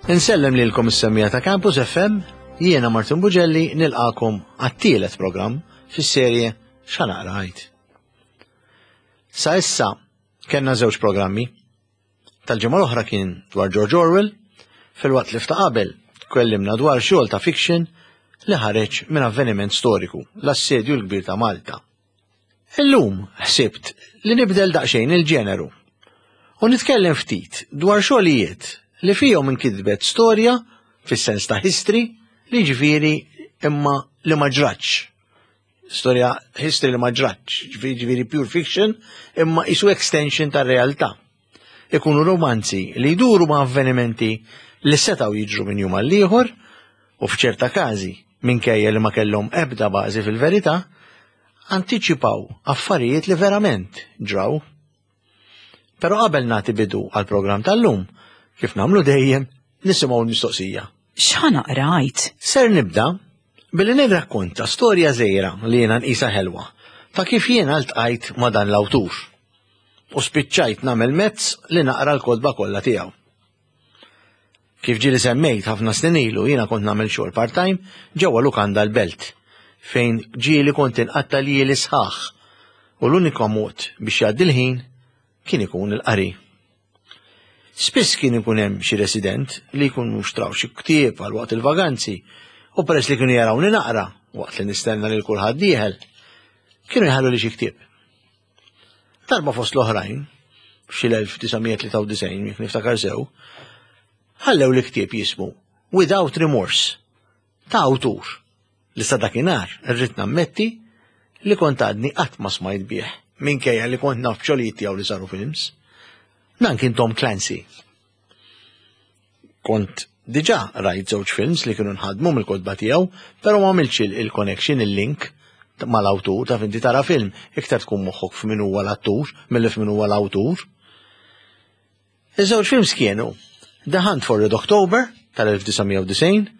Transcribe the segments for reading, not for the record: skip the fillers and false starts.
Insellem lilkom is-semmija ta' Campus FM, jiena Martin Bugelli nilqakom għat-tielet programm fis-serje X'Naqra Għid. Sa issa kellna żewġ programmi. Tal-ġimgħa l-oħra kien dwar George Orwell, filwaqt li f'ta' qabel tkellimna dwar xogħol ta' fiction li ħareġ minn avveniment storiku, l-Assedju l-Kbir ta' Malta. Illum ħsibt li nibdel daqsxejn il-ġeneru u nitkellem ftit dwar xogħlijiet li fihom inkitbet storja fis-sens ta' history li ġifieri imma li ma ġratx. Storja history li ma ġratx, ġifieri pure fiction imma isu extension tar-realtà. Ikunu romanzi li jduru ma' avvenimenti li setgħu jiġru minn jum għal ieħor u f'ċerta każi minkejja li ma kellhom ebda bażi fil-verità, antiċipaw affarijiet li verament ġraw. Però qabel nagħti bidu għall-programm tal-lum, kif nagħmlu dejjem, nisimgħu l-mistoqsija. X'ħa naqra għid? Ser nibda billi nirrakkonta storja żgħira li jiena nqisha ħelwa ta' kif jiena ltqajt ma' dan l-awtur u spiċċajt nagħmel mezz li naqra l-kotba kollha tiegħu. Kif ġieli semmejt ħafna snin ilu jiena kont nagħmel xogħol part-time ġewwa lukanda l-Belt fejn ġieli kont inqatta' ljieli sħaħ u l-unika mod biex jgħaddi l-ħin kien ikun il-qari. Spiss kien ikun hemm xi resident li jkunu xtraw xi ktieb għal waqt il-vaganzi u peress li kienu jarawni naqra waqt li nistenna lil kulħadd dieħel, kienu jħallu li xi ktieb. Darba fost l-oħrajn, f'xi l-1993, jekk niftakar sew, ħallew li ktieb jismu Without Remorse ta' awtur li sa dakinhar irrid nammetti li kont għadni qatt ma smajt bih minkejja li kont naf b'xogħlijiet tiegħu li saru films. Dan kien Tom Clancy. Kont diġà rajt żewġ films li kienu nħadmu mill-kotba tiegħu, però ma għamiltx il-connection, il-link mal-awtur, taf inti tara film, iktar tkun moħħok f'min huwa l-attur milli f'min huwa l-awtur. Iż-żewġ films kienu The Hunt for Red October tal-1990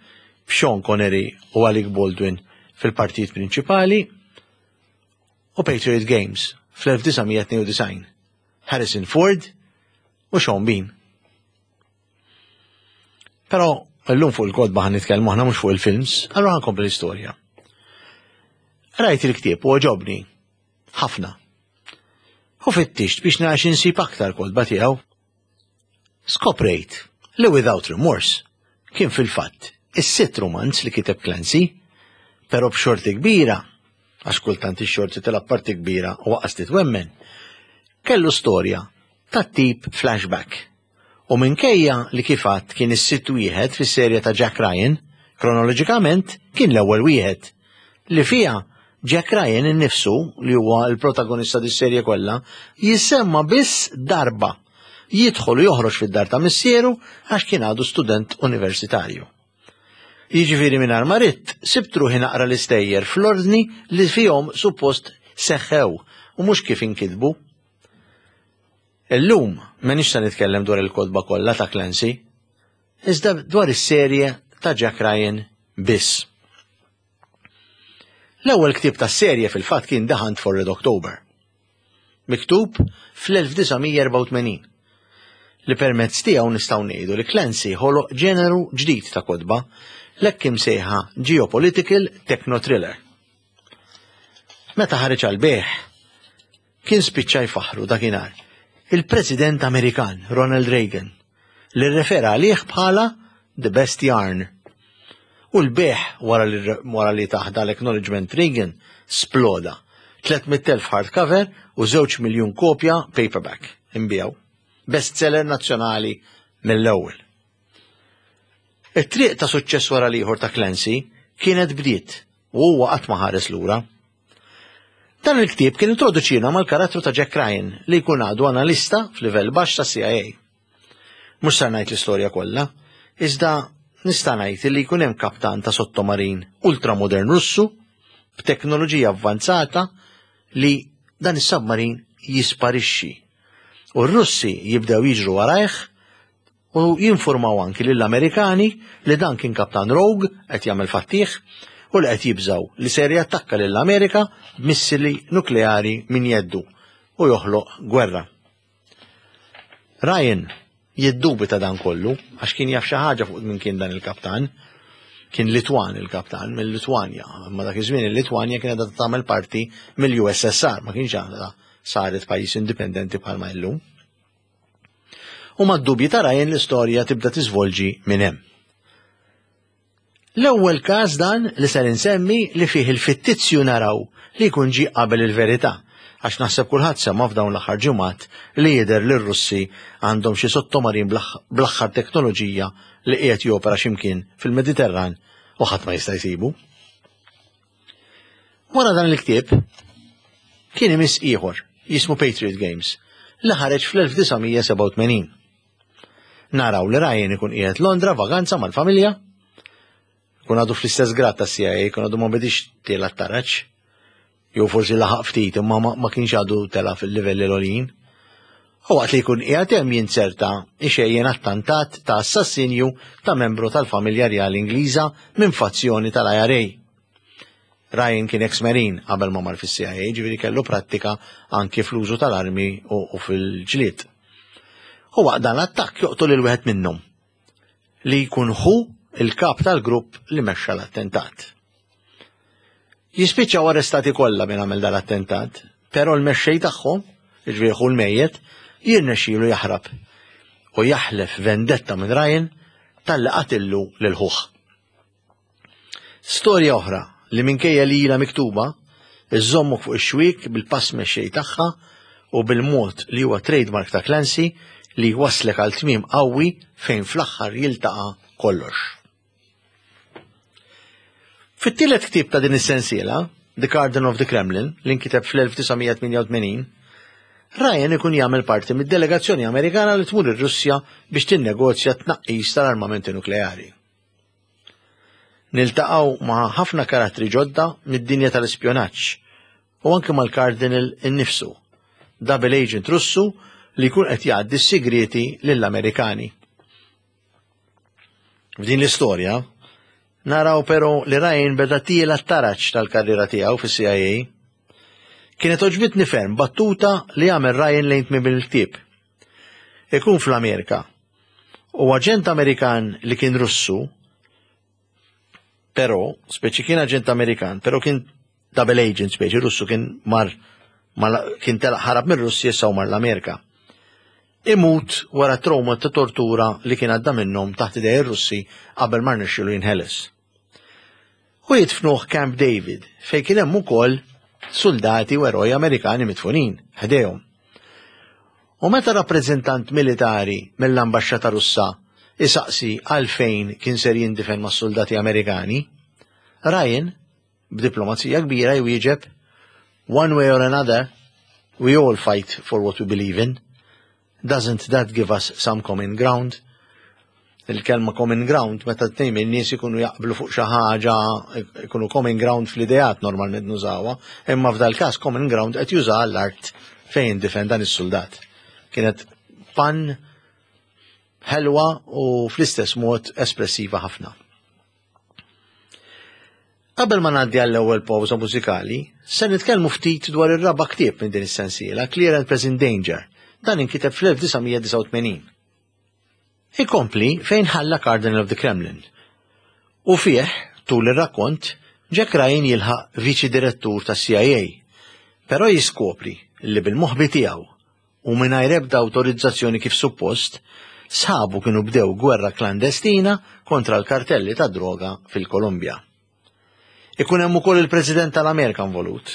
b'Sean Connery u Alec Baldwin fil-partijiet prinċipali u Patriot Games fl-1992 Harrison Ford u Sean Bean. Però llum fuq il-kotba ħan nitkellmu aħna mhux fuq il-films, allura ħan kompli l-istorja. Rajt il-ktieb u għoġobni ħafna. U fittixt biex nara insib aktar kotba tiegħu. Skoprejt li Without Remorse kien fil-fatt is-sitt romanz li kiteb Clancy, però b'xorti kbira, għax kultant ix-xorti tilgħab parti kbira u waqqas titwemmen, kellu storja tat-tip flashback. U minkejja li kif għadt kien is-sitt wieħed fis-serje ta' Jack Ryan, kronoloġikament kien l-ewwel wieħed, li fiha Jack Ryan innifsu, li huwa l-protagonista dis-serje kollha, jissemma biss darba, jidħol u joħroġ fid-dar ta' missieru għax kien għadu student universitarju. Jiġifieri mingħajr ma ridt, sibt ruħi naqra l-istejjer fl-ordni li fihom suppost seħħew u mhux kif inkitbu. Illum m'iniex se nitkellem dwar il-kotba kollha ta' Clancy, iżda dwar is-serje ta' Jack Ryan biss. L-ewwel ktieb tas-serje fil-fatt kien The Hunt for Red October, miktub fl-1984, li permezz tiegħu nistgħu ngħidu li Clancy ħoloq ġeneru ġdid ta' kotba, l-hekk imsejħa geopolitical techno-thriller. Meta ħareġ għall-bejgħ, Kien spiċċa jfaħħru dakinhar il-President Amerikan Ronald Reagan li rrefera għalih bħala the best yarn. U l-bejgħ wara li wara li tah dal-acknowledgement Reagan sploda. 300,000 hardcover u 2 miljun kopja paperback inbiegħu. Bestseller nazzjonali mill-ewwel. It-triq ta' suċċess wara l-ieħor ta' Clancy kienet bdiet u huwa qatt ma ħares lura. Dan il-ktieb kien introduċina mal-karattru ta' Jack Ryan li jkun għadu analista f'livell baxx tas-CIA. Mhux ser ngħid l-istorja kollha, iżda nista' ngħid li jkun hemm kaptan ta' sottomarin ultramodern Russu b'teknoloġija avvanzata li dan is-submarin jisparixxi. U r-Russi jibdew jiġru warajh u jinfurmaw anki lill-Amerikani li dan kien kaptan rogue qed jagħmel fattih u li qed jibżgħu li ser jattakka lill-Amerika b'missili nukleari minn jeddu u joħloq gwerra. Ryan jiddubita dan kollu għax kien jaf xi ħaġa fuq minn kien dan il-kaptan. Kien Litwan il-kaptan mill-Litwanja, imma dak iż-żmien il-Litwanja kienet għadha tagħmel parti mill-USSR, ma kienx għadha saret pajjiż indipendenti bħalma illum. U mad-dubji ta' Ryan l-istorja tibda tiżvolġi minn hemm. L-ewwel każ dan li ser insemmi li fih il-fittizju naraw li jkun ġie qabel il-verità, għax naħseb kulħadd sema' f'dawn l-aħħar ġimgħat li jidher li r-Russi għandhom xi sottomarin bl-aħħar teknoloġija li qiegħed jopera xi mkien fil-Mediterran u ħadd ma jista' jsibu. Wara dan il-ktieb kien imiss ieħor jismu Patriot Games li ħareġ fl-1987. Naraw li Ryan ikun qiegħed Londra vaganza mal-familja, kun għadu fl-istess grad ta' CIA, kun għadu ma bedix tiela t-taraġ, jew forsi laħaq ftit imma ma kienx għadu tela fil-livelli l-għoljin. U waqt li jkun qiegħed hemm jinzerta ixejjen attantat ta' assassinju ta' membru tal-familja rjali Ingliża minn fazzjoni tal-IRA. Ryan kien ex-marine qabel ma mar fis-CIA, ġifieri kellu prattika anki fl-użu tal-armi u fil-ġlied. U waqt dan l-attakk joqtol lil wieħed minnhom li jkun hu il-kap tal-grupp li mexxa l-attentat. Jispiċċaw arrestati kollha minn għamel dal-attentat, però l-mexxej tagħhom, jiġifieri ħu l-mejjet, jirnexxielu jaħrab u jaħlef vendetta minn Ryan talli qatillu lil ħuh. Storja oħra li minkejja li ilha miktuba, iżżommok fuq ix-xwiek bil-pass mexxej tagħha u bil-mod li huwa trademark ta' Clancy li jwasslek għal tmiem qawwi fejn fl-aħħar jiltaqa' kollox. Fit-tielet ktieb ta' din is-sensiela, The Garden of the Kremlin, li nkiteb fl-1988, Ryan ikun jagħmel parti mid-delegazzjoni Amerikana li tmur ir-Russja biex tinnegozja tnaqqis tal-armamenti nukleari. Niltaqgħu ma' ħafna karattri ġodda mid-dinja tal-ispjonaġġ u anke mal-Cardinal innifsu, double agent Russu li jkun qed jgħaddi s-sigrieti lill-Amerikani. F'din l-istorja, naraw però li Ryan beda tiela t-taraġ tal-karriera tiegħu fis-CIA. Kienet oġbitni ferm battuta li għamel Ryan lejn tmiem il-ktieb. Ikun fl-Amerika u aġent Amerikan li kien Russu, però, speċi kien aġent Amerikan, però kien double agent speċi Russu kien mar kien telaq ħarab mir Russja issa u mar l-Amerika. Imut wara trauma ta' tortura li kien għadda minnhom taħt idej ir-Russi qabel ma rnexxielu jinħeles. U jidfnuh Camp David fejn kien hemm ukoll suldati u eroj Amerikani midfunin ħdejhom. U meta rappreżentant militari mill-ambaxxata Russa isaqsi għalfejn kien ser jindifen mas-suldati Amerikani, Ryan, b'diplomazija kbira jwieġeb, One way or another, we all fight for what we believe in. Doesn't that give us some common ground? Il-kelma common ground meta tnejn min-nies ikunu jaqblu fuq xi ħaġa, ikunu common ground fl-ideat normalment nużawha, imma f'dal każ common ground qed juża l-art fejn difen dan is-suldat. Kienet pan ħelwa u fl-istess mod espressiva ħafna. Qabel ma ngħaddi għall-ewwel pawża mużikali, se nitkellmu ftit dwar ir-raba' ktieb minn din is-sensiela, Clear and Present Danger. Dan inkiteb fl-1989. Ikompli fejn ħalla Cardinal of the Kremlin. U fih, tul ir-rakkont, Jack Ryan jilħaq viċi direttur tas-CIA, però jiskopri li bil-moħbi tiegħu u mingħajr ebda awtorizzazzjoni kif suppost, sħabu kienu bdew gwerra klandestina kontra l-kartelli tad-droga fil-Kolumbja. Ikun hemm ukoll il-President tal-Amerika involut.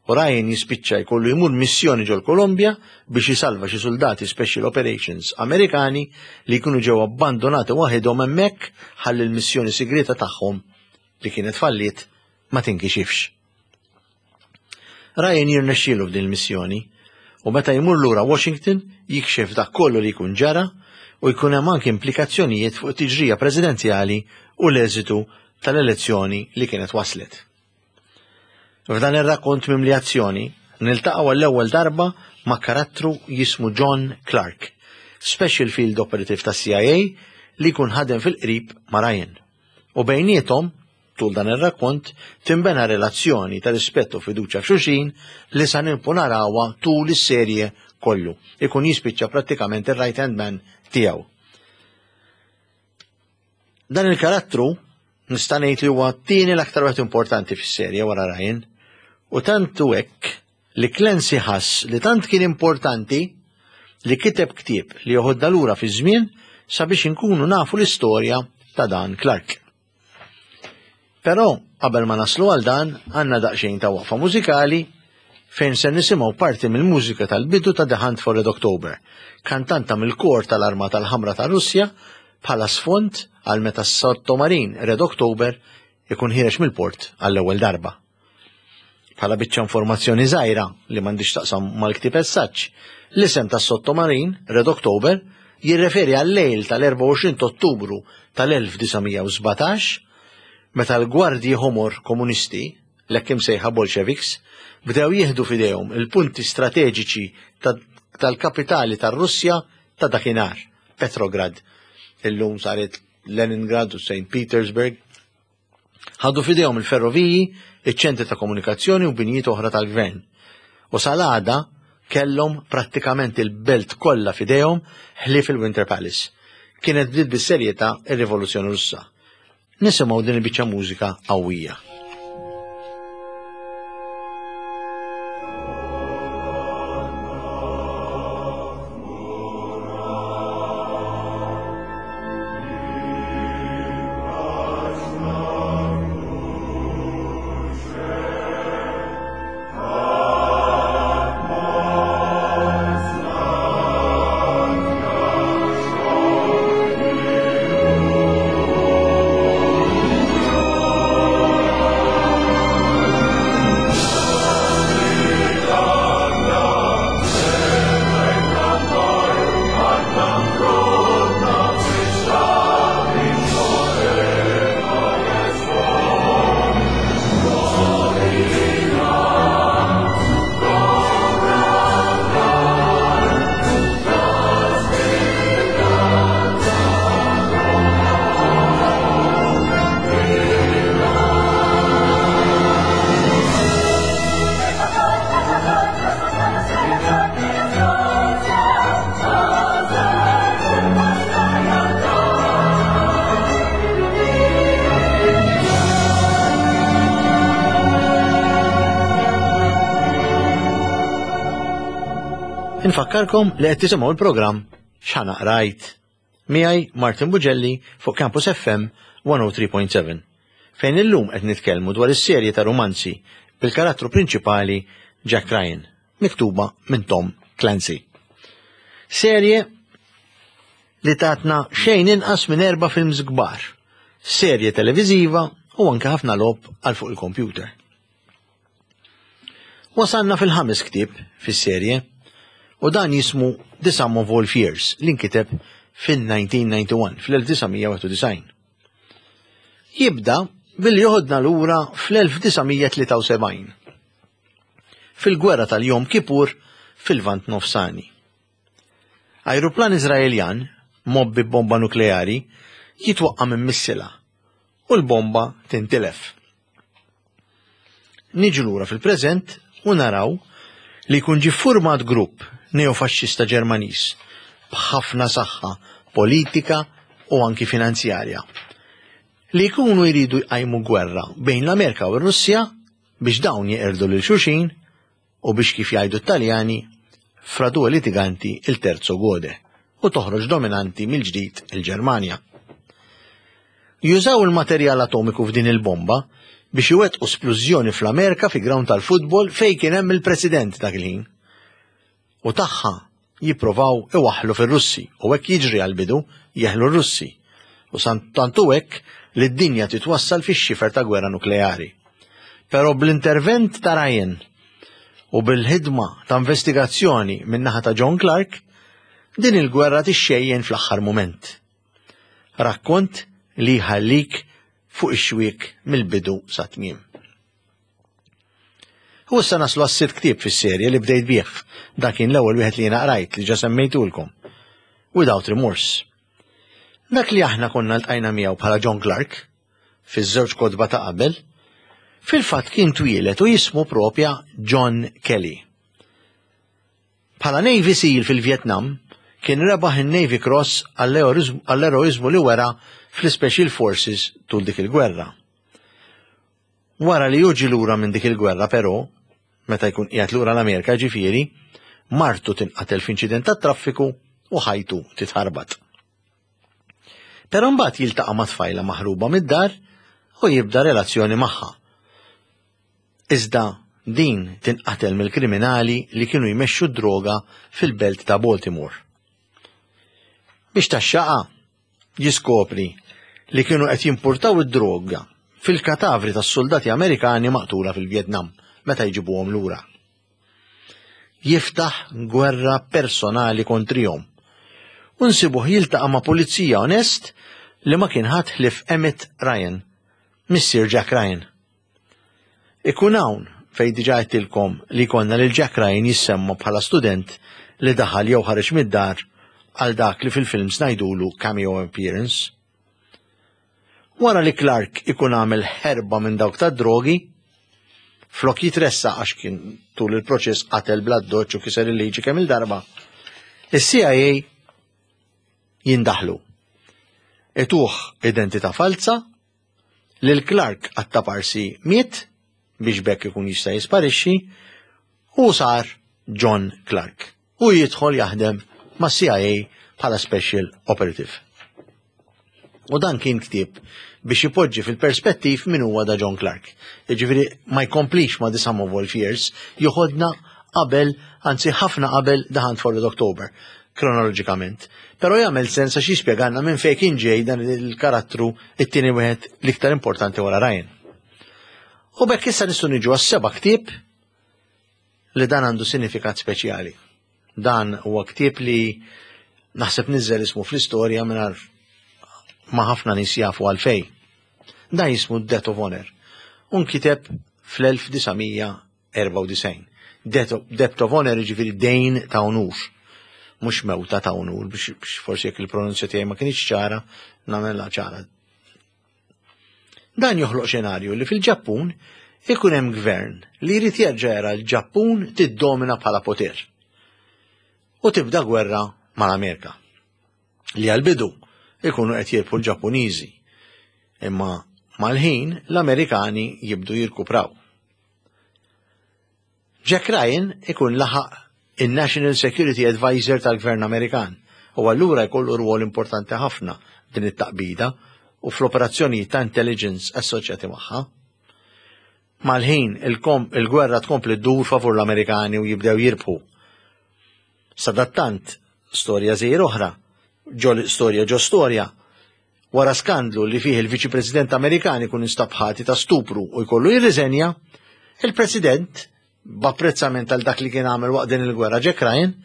U Ryan jispiċċa jkollu jmur missjoni ġol-Kolumbja biex jisalva xi suldati Special Operations Amerikani li jkunu ġew abbandonati waħidhom hemmhekk ħalli l-missjoni sigrieta tagħhom li kienet falliet ma tinkixifx. Ryan jirnexxielu f'din il-missjoni u meta jmur lura Washington jikxef dak kollu li jkun ġara u jkun hemm anki implikazzjonijiet fuq it-tiġrija presidenzjali u l-eżitu tal-elezzjoni li kienet waslet. F'dan ir-rakkont mimli azzjoni, niltaqgħu għall-ewwel darba ma' karattru jismu John Clark, Special Field Operative tas-CIA li jkun ħadem fil-qrib ma' Ryan. U bejniethom Tul dan ir-rakkont tinbena relazzjoni ta' rispett u fiduċja f'xulxin li sa nibqgħu narawha tul is-serje kollu. Ikun jispiċċa prattikament ir-right hand man tiegħu. Dan il-karattru nista' ngħid li huwa t-tieni l-aktar wieħed importanti fis-serje wara Ryan u tant hu hekk li Clancy ħass li tant kien importanti li kiteb ktieb li joħodna lura fiż-żmien sabiex inkunu nafu l-istorja ta' dan Clark. Però qabel ma naslu għal dan għandna daqsxejn ta' waqfa mużikali fejn se nisimgħu parti mill-mużika tal-bidu ta' The Hunt for Red October, kantanta mill-kor tal-Armata l-Ħamra tar-Russja bħala sfond għal meta s-sottomarin Red October ikun ħiereġ mill-port għall-ewwel darba. Bħala biċċa informazzjoni żgħira li m'għandix taqsam mal-ktieb essaċ, l-isem tas-sottomarin Red October jirreferi għal-lejl tal-24 Ottubru tal-1917 meta l-gwardji ħomor komunisti, l-hekk imsejħa Bolsheviks, bdew jieħdu f'idejhom il-punti strateġiċi tal-kapitali tar-Russja ta' dakinhar, Petrograd. Illum saret Leningrad u St. Petersburg. Ħadu f'idejhom il-ferroviji, iċ-ċentri ta' komunikazzjoni u binjiet oħra tal-gvern. U sal-għada kellhom prattikament il-belt kollha f'idejhom ħlief il-Winter Palace. Kienet bdiet bis-serjetà ir-Rivoluzzjoni Russa. Nisimgħu din il-biċċa mużika qawwija. Infakkarkom li qed tisimgħu l-programm X'Ħa Qrajt. Miegħi Martin Bugelli fuq Campus FM 103.7 fejn illum qed nitkellmu dwar is-serje ta' rumanzi bil-karattru prinċipali Jack Ryan. miktuba minn Tom Clancy. Serje li tatna xejn inqas minn erba' films kbar, serje televiżiva u anke ħafna logħob għal fuq il-kompjuter. Wasalna fil-ħames ktieb fis-serje u dan jismu The Sum of All Fears li nkiteb fin-1991, fl-1991. Jibda billi joħodna lura fl-1973 fil-gwerra tal-Yom Kippur fil-Lvant Nofsani. Ajruplan Iżraeljan mgħobbi b'bomba nukleari jitwaqqa' minn missila u l-bomba tintilef. Niġu lura fil-preżent u naraw li jkun ġie ffurmat grupp neofaxxista Ġermaniż b'ħafna saħħa politika u anki finanzjarja li jkunu jridu jqajmu gwerra bejn l-Amerika u r-Russja biex dawn jeqirdu lil xulxin u biex kif jgħidu t-Taljani, fra due litiganti il terzo gode u toħroġ dominanti mill-ġdid il-Ġermanja. Jużaw il-materjal atomiku f'din il-bomba biex iwettqu splużjoni fl-Amerika fi ground tal-futbol fejn kien hemm il-President dak il-ħin. U tagħha jipprovaw iwaħħlu fir-Russi u hekk jiġri għall-bidu jeħlu r-Russi. U tant hu hekk li d-dinja titwassal fix-xifer ta' gwerra nukleari. Però bl-intervent ta' Ryan u bil-ħidma ta' investigazzjoni min-naħa ta' John Clark, din il-gwerra tixxejjen fl-aħħar mument. Rakkont li jħallik fuq ix-xwiek mill-bidu sat-tmiem. U issa naslu għas-sitt ktieb fis-serje li bdejt bih. Dak kien l-ewwel wieħed li jiena qrajt li ġa semmejtulkom. Without Remorse. Dak li aħna konna ltqajna miegħu bħala John Clark fiż-żewġ kotba ta' qabel, fil-fatt kien twieled u jismu propja John Kelly. Bħala Navy SEAL fil-Vjetnam, kien rebaħ in-Navy Cross għall-eroiżmu li wera fl-Special Forces tul dik il-gwerra. Wara li hu ġie lura minn dik il-gwerra però, meta jkun qiegħed lura l-Amerika ġifieri, martu tinqatel f'inċident tat-traffiku u ħajtu titħarbat. Però mbagħad jiltaqa' ma' tfajla maħruba mid-dar u jibda relazzjoni magħha. Iżda din tinqatel mill-kriminali li kienu jmexxu d-droga fil-belt ta' Baltimore. Biex taxxaqa, jiskopri li kienu qed jimpurtaw id-droga fil-katavri tas-suldati Amerikani maqtula fil-Vjetnam meta jġibuhom lura. Jiftaħ gwerra personali kontrihom u nsibuh jiltaqa' ma' pulizija onest li ma kien ħadd ħlief Emmett Ryan, missier Jack Ryan. Ikun hawn fejn diġà għedtilkom li jkollna lil Jack Ryan jissemma bħala student li daħal jew ħareġ mid-dar għal dak li fil-films ngħidulu cameo appearance. Wara li Clark ikun għamel ħerba minn dawk tad-drogi, flok jitressaq għax kien tul il-proċess qatel bl-addoċċ u kiser il-liġi kemm il-darba, is-CIA jindaħlu. Ituh identità falza Lil Clark għat-taparsi miet biex b'hekk ikun jista' jisparixxi u sar John Clark u jidħol jaħdem mas-CIA bħala Special Operative. U dan kien ktieb biex ipoġġi fil-perspettiv min huwa da John Clark. Jiġifieri ma jkomplix ma' The Sum of All Fears, joħodna qabel, anzi ħafna qabel The Hunt for Red October, kronoloġikament. Però jagħmel sens għax jispjegalna minn fejn kien ġej dan il-karattru it-tieni wieħed l-iktar importanti wara Ryan. U bekk issa nistgħu niġu għas-seba' ktieb li dan għandu sinifikat speċjali. Dan huwa ktieb li naħseb niżel ismu fl-istorja mingħajr ma ħafna nies jafu għalfej. Dan jismu Death of Honor. U nkiteb fl-1994. Debt of Honor jiġifieri dejn ta' unur. Mhux mewta ta' unur biex forsi jekk il-pronunzja tiegħi ma kienx ċara, nagħmilha ċara. Dan joħloq xenarju li fil-Ġappun ikun hemm gvern li jrid jerġa' jara l-Ġappun tiddomina bħala poter. U tibda gwerra mal-Amerika. Li għal-bidu ikunu qed jirbħu l-Ġappuniżi. Imma mal-ħin l-Amerikani jibdu jirkupraw. Jack Ryan ikun laħaq in-National Security Advisor tal-Gvern Amerikan u allura jkollu rwol importanti ħafna din it-taqbida u fl-operazzjonijiet ta' intelligence assoċjati magħha. Mal-ħin il-gwerra tkompli ddur favur l-Amerikani u jibdew jirbħu. Sadattant, storja żgħir oħra, ġo storja ġo storja, wara skandlu li fih il-Viċi President Amerikan ikun instab ħati ta' stupru u jkollu jirriżenja, il-President, b'apprezzament għal dak li kien għamel waqt din il-gwerra Jack Ryan,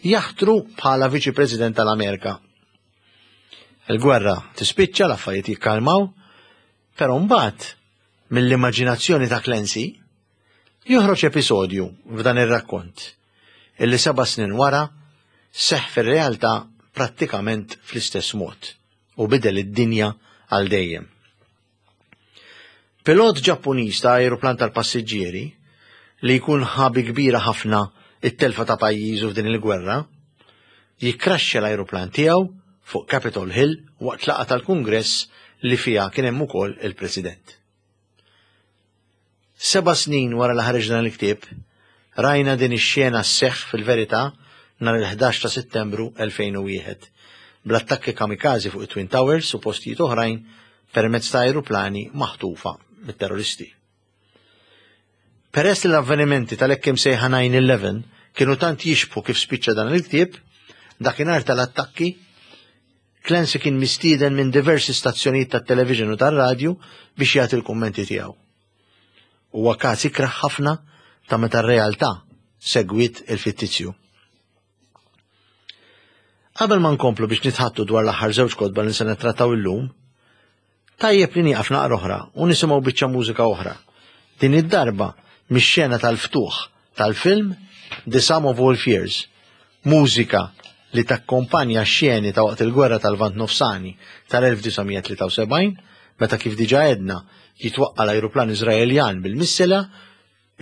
jaħtru bħala Viċi President tal-Amerika. Il-gwerra tispiċċa, l-affarijiet jikkalmaw, però mbagħad mill-immaġinazzjoni ta' Clancy joħroġ episodju f'dan ir-rakkont illi seba' snin wara seħħ fir-realtà prattikament fl-istess mod u bidel id-dinja għal dejjem. Pilot Ġappuniż ta' ajruplan tal-passiġġieri li jkun ħa bi kbira ħafna it-telfa ta' pajjiżu f'din il-gwerra, jikkraxxja l-ajruplan tiegħu fuq Capitol Hill waqt laqgħa tal-Kungress li fiha kien hemm ukoll il-President. Seba' snin wara li ħareġ dan il-ktieb, rajna din ix-xena sseħħ fil-verità nhar il-11 ta' Settembru 2001, bl-attakki kamikaze fuq it-Twin Towers u postijiet oħrajn permezz ta' ajruplani maħtufa mit-terroristi. Peress li l-avvenimenti tal-hekk imsejħa 9/11 kienu tant jixbħu kif spiċċa dan il-ktieb, dakinhar tal-attakki Clancy kien mistieden minn diversi stazzjonijiet tat-television u tar-radju biex jagħti l-kummenti tiegħu. Huwa każ ikrah ħafna ta' meta r-realtà segwiet il-fittizju. Qabel ma nkomplu biex nitħattu dwar l-aħħar żewġ kotba li se nittrattaw illum, Tajjeb li nieqaf naqra oħra u nisimgħu biċċa mużika oħra. Din id-darba mix-xena tal-ftuħ tal-film The Sum of All Fears, mużika li takkompanja x-xeni ta' waqt il-Gwerra tal-Lvant Nofsani tal-1973, meta kif diġà għedna jitwaqqa' l-ajruplan Iżraeljan bil-missila,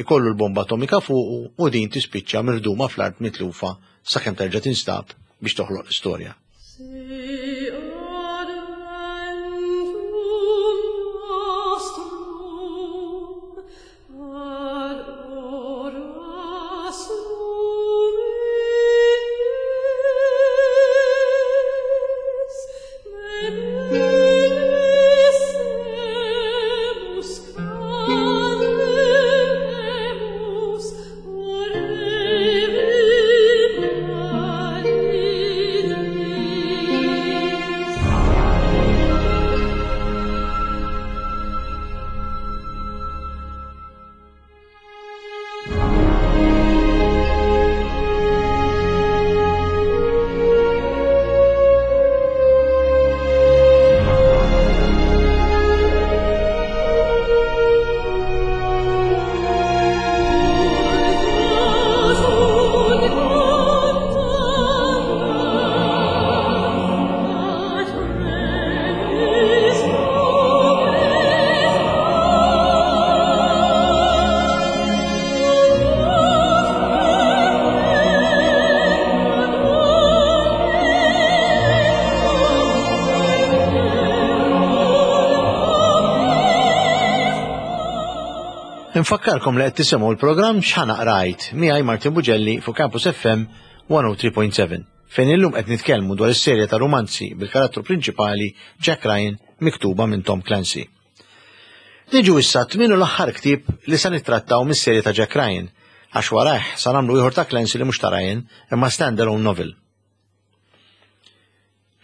ikollu l-bomba atomika fuqu u din tispiċċa mirduma fl-art mitlufa sakemm terġa' tinstab biex toħloq l-istorja. Infakkarkom li qed tisimgħu l-programm X'Ħa Qrajt miegħi Martin Bugelli fuq Campus FM 103.7 fejn illum qed nitkellmu dwar is-serje ta' rumanzi bil-karattru prinċipali Jack Ryan miktuba minn Tom Clancy. Niġu issa tmien u l-aħħar ktieb li sa nittrattaw mis-serje ta' Jack Ryan, għax warajh sa nagħmlu ieħor ta' Clancy li mhux ta' Ryan imma stand-alone novel.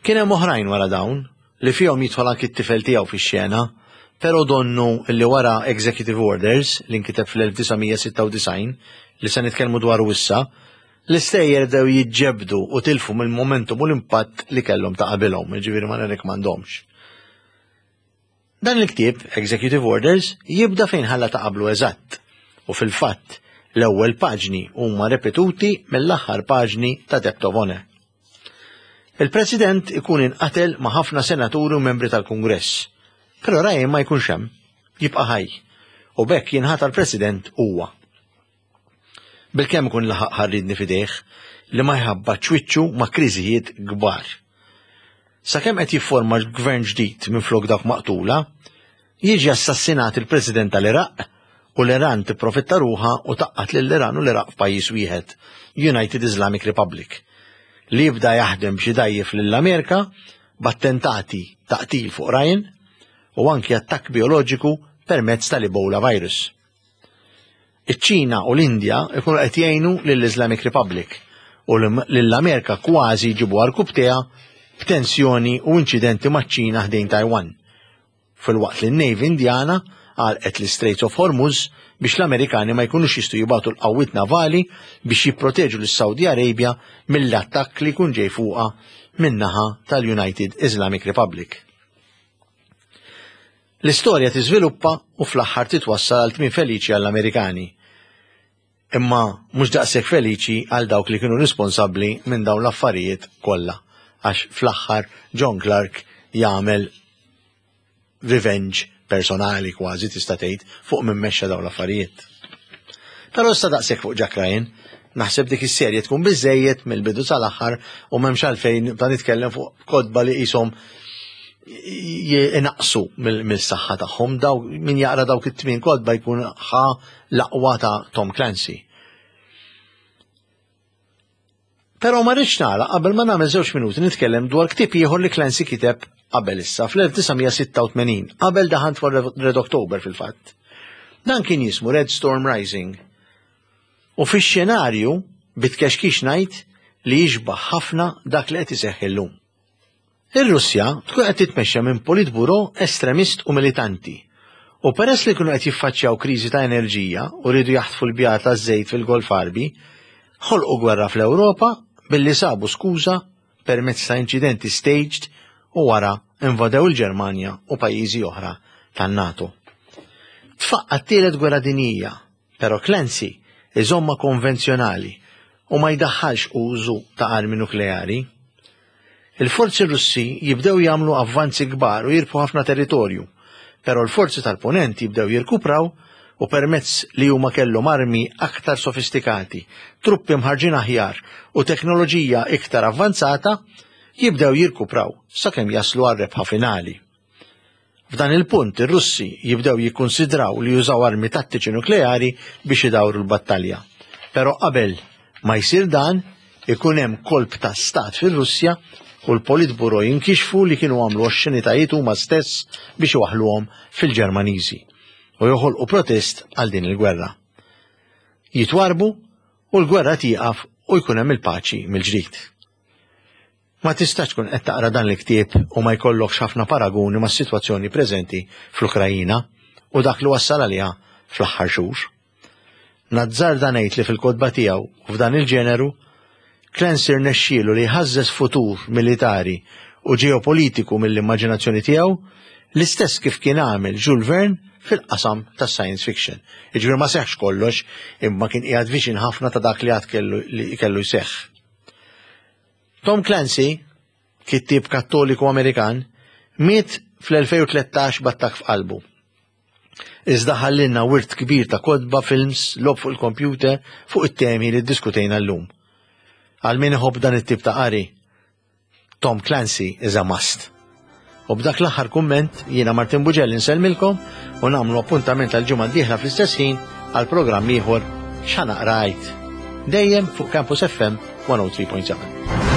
Kien hemm oħrajn wara dawn li fihom jidħol anki t-tifel tiegħu fix-xena, però donnu li wara Executive Orders li nkiteb fl-1996 li se nitkellmu dwaru issa, l-istejjer bdew jiġġebdu u tilfu mill-momentum u l-impatt li kellhom ta' qabilhom, jiġifieri ma nirrikmandomx. Dan il-ktieb, Executive Orders, jibda fejn ħalla ta' qablu eżatt, u fil-fatt, l-ewwel paġni huma repetuti mill-aħħar paġni ta' Debt of Honor. Il-President ikun inqatel ma' ħafna senaturi u membri tal-Kungress, però Ryan ma jkunx hemm, jibqa' ħaj, u b'hekk jinħatar President huwa. Bilkemm ikun laħaq ħarridni f'idejh li ma jħabbatx wiċċu ma' kriżijiet kbar. Sakemm qed jifforma gvern ġdid minflok dawk maqtula, jiġi assassinat il-President tal-Iraq u l-Iran tipprofitta ruħha u taqqat lill-Iran u l-Iraq f'pajjiż wieħed, United Islamic Republic, li jibda jaħdem biex idgħajjef lill-Amerika b'attentati ta' qtil fuq Ryan u anki attakk bioloġiku permezz tal-Ebola virus. Iċ-Ċina u l-Indja jkunu qed jgħinu lill-Islamic Republic u lill-Amerika kważi jġibu għarkupptejha b'tensjoni u inċidenti maċ-Ċina ħdejn Taiwan. Filwaqt li n-Navy Indjana għalqet l-Straits of Hormuz biex l-Amerikani ma jkunux jistgħu jibagħtu l-qawwiet navali biex jipproteġu lis-Saudi Arabia mill-attakk li jkun ġej fuqha min-naħa tal-United Islamic Republic. L-istorja tiżviluppa u fl-aħħar titwassal għal tmiem feliċi għall-Amerikani. Imma mhux daqshekk feliċi għal dawk li kienu responsabbli minn dawn l-affarijiet kollha għax fl-aħħar John Clark jagħmel revenge personali kważi tista' tgħid fuq min mexxa dawn l-affarijiet. Però issa daqshekk fuq Jack Ryan, naħseb dik is-serje tkun biżejjed mill-bidu sal-aħħar u m'hemmx għalfejn nibda nitkellem fuq kotba li qishom inaqsu mill-saħħa tagħhom. Daw min jaqra dawk it-tmien kotba jkun ħa l-aqwa ta' Tom Clancy. Però ma rridx nagħlaq qabel ma nagħmel żewġ minuti nitkellem dwar ktieb ieħor li Clancy kiteb qabel issa fl-1986, qabel The Hunt for Red October fil-fatt. Dan kien jismu Red Storm Rising. U fix-xenarju bitkexkix ngħid li jixbaħ ħafna dak li qed iseħħ illum. Ir-Russja tkun qed titmexxa minn politburo estremist u militanti. U peress li kienu qed jiffaċċjaw kriżi ta' enerġija u riedu jaħtfu l-bjar taż-żejt fil-Golf Għarbi, ħolqu gwerra fl-Ewropa billi sabu skuża permezz ta' inċidenti staged u wara invadew il-Ġermanja u pajjiżi oħra tan-NATO. Tfaqqa' t-tielet gwerra dinjija Però Clancy iżommha konvenzjonali u ma jdaħħalx użu ta' armi nukleari. Il-forzi Russi jibdew jagħmlu avvanzi kbar u jirbħu ħafna territorju, però l-forzi tal-Punent jibdew jirkupraw u permezz li huma kellhom armi aktar sofistikati, truppi mħarġin aħjar u teknoloġija iktar avvanzata, jibdew jirkupraw sakemm jaslu għar-rebħa finali. F'dan il-punt ir-Russi jibdew jikkunsidraw li jużaw armi tattiċi nukleari biex idawru l-battalja. Però qabel ma jsir dan, ikun hemm kolp ta' stat fir-Russja u l-Politburo jinkixfu li kienu għamlu oxxenitajiet huma stess biex iwaħħluhom fil-Ġermaniżi u joħolqu protest għal din il-gwerra. Jitwarbu u l-gwerra tieqaf u jkun hemm il-paċi mill-ġdid. Ma tistax tkun qed taqra dan il-ktieb u ma jkollokx ħafna paraguni mas-sitwazzjoni preżenti fl-Ukrajina u dak li wassal għaliha fl-aħħar xhur. Nazzarda ngħid li fil-kotba tiegħu u f'dan il-ġeneru, Clancy rnexxielu li jħażżeż futur militari u ġeopolitiku mill-immaġinazzjoni tiegħu, l-istess kif kien għamel Jules Verne fil-qasam tas-science fiction. Jiġifieri ma seħħx kollox, imma kien qiegħed viċin ħafna ta' dak li għad kellu li kellu jseħħ. Tom Clancy, kittieb Kattoliku Amerikan, miet fl-2013 b'attakk f'qalbu. Iżda ħallilna wirt kbir ta' kotba, films, logħob fuq il-kompjuter fuq it-temi li ddiskutejna llum. Għal min iħobb dan it-tip ta' qari, Tom Clancy is a must. U b'dak l-aħħar kumment jiena Martin Bugelli nsellmilkom u nagħmlu appuntament għal ġimgħa d-dieħla fl-istess ħin għal programm ieħor x'ħa naqra għid. Dejjem fuq Campus FM 103.7.